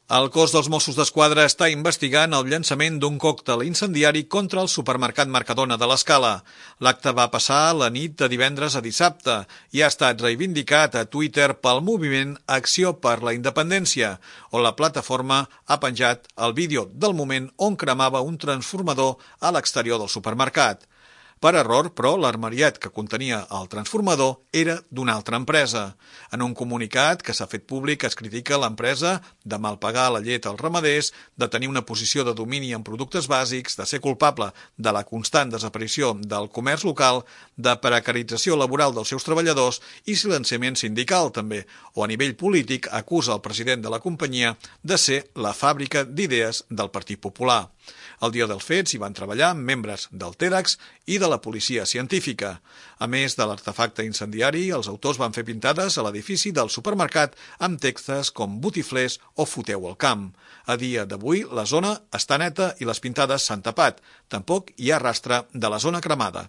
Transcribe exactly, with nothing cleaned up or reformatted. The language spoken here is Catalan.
El cos dels Mossos d'Esquadra està investigant el llançament d'un còctel incendiari contra el supermercat Mercadona de l'Escala. L'acte va passar la nit de divendres a dissabte i ha estat reivindicat a Twitter pel moviment Acció per la Independència, on la plataforma ha penjat el vídeo del moment on cremava un transformador a l'exterior del supermercat. Per error, però, l'armariet que contenia el transformador era d'una altra empresa. En un comunicat que s'ha fet públic es critica l'empresa de malpagar la llet als ramaders, de tenir una posició de domini en productes bàsics, de ser culpable de la constant desaparició del comerç local, de precarització laboral dels seus treballadors i silenciament sindical, també, o a nivell polític acusa el president de la companyia de ser la fàbrica d'idees del Partit Popular. El dia dels fets hi van treballar membres del TEDx i de la policia científica. A més de l'artefacte incendiari, els autors van fer pintades a l'edifici del supermercat amb textos com botiflers o foteu al camp. A dia d'avui, la zona està neta i les pintades s'han tapat. Tampoc hi ha rastre de la zona cremada.